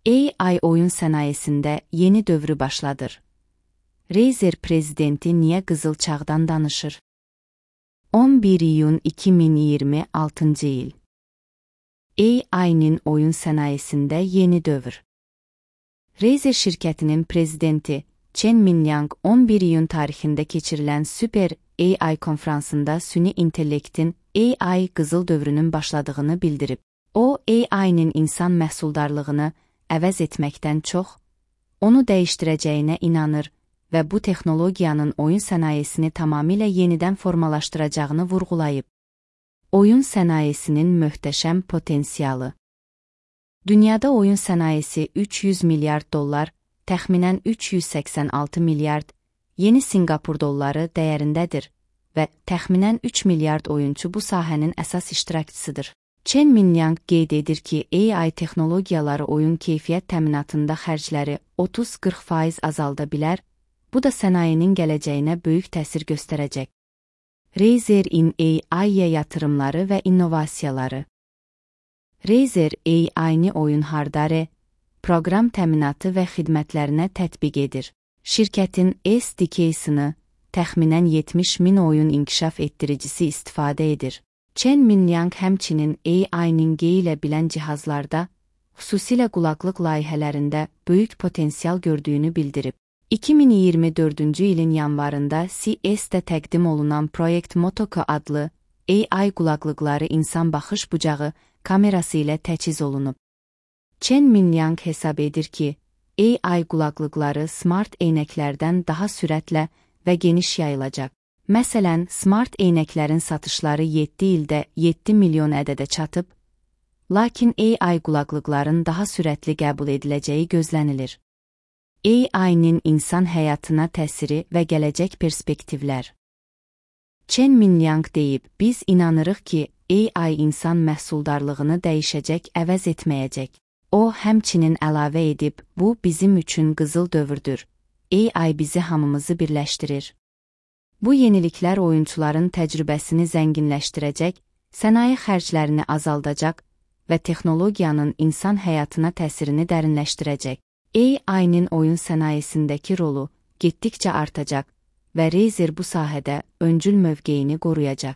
AI oyun sənayesində yeni dövrü başladır. Razer prezidenti niyə qızıl çağdan danışır? 11 iyun 2026 il. AI'nin oyun sənayesində yeni dövr. Razer şirkətinin prezidenti Chen Mingyang 11 iyun tarixində keçirilən Super AI konfransında süni intellektin AI qızıl dövrünün başladığını bildirib. O, AI'nin insan məhsuldarlığını əvəz etməkdən çox, onu dəyişdirəcəyinə inanır və bu texnologiyanın oyun sənayesini tamamilə yenidən formalaşdıracağını vurğulayıb. Oyun sənayesinin möhtəşəm potensialı. Dünyada oyun sənayesi 300 milyard dollar, təxminən 386 milyard yeni Sinqapur dolları dəyərindədir və təxminən 3 milyard oyunçu bu sahənin əsas iştirakçısıdır. Chen Mingyang qeyd edir ki, AI texnologiyaları oyun keyfiyyət təminatında xərcləri 30-40% azalda bilər, bu da sənayenin gələcəyinə böyük təsir göstərəcək. Razer in AI-yə yatırımları və innovasiyaları. Razer AI-ni oyun hardware, proqram təminatı və xidmətlərinə tətbiq edir. Şirkətin SDK-sını təxminən 70 min oyun inkişaf etdiricisi istifadə edir. Chen Mingyang həmçinin AI-nin geyilə bilən cihazlarda, xüsusilə qulaqlıq layihələrində böyük potensial gördüyünü bildirib. 2024-cü ilin yanvarında CES-də təqdim olunan Project Motoko adlı AI qulaqlıqları insan baxış bucağı kamerası ilə təchiz olunub. Chen Mingyang hesab edir ki, AI qulaqlıqları smart eynəklərdən daha sürətlə və geniş yayılacaq. Məsələn, smart eynəklərin satışları 7 ildə 7 milyon ədədə çatıb, lakin AI qulaqlıqların daha sürətli qəbul ediləcəyi gözlənilir. AI-nin insan həyatına təsiri və gələcək perspektivlər. Chen Mingyang deyib, biz inanırıq ki, AI insan məhsuldarlığını dəyişəcək, əvəz etməyəcək. O, həmçinin əlavə edib, bu bizim üçün qızıl dövrdür. AI bizi hamımızı birləşdirir. Bu yeniliklər oyunçuların təcrübəsini zənginləşdirəcək, sənaye xərclərini azaldacaq və texnologiyanın insan həyatına təsirini dərinləşdirəcək. AI-nin oyun sənayesindəki rolu getdikcə artacaq və Razer bu sahədə öncül mövqeyini qoruyacaq.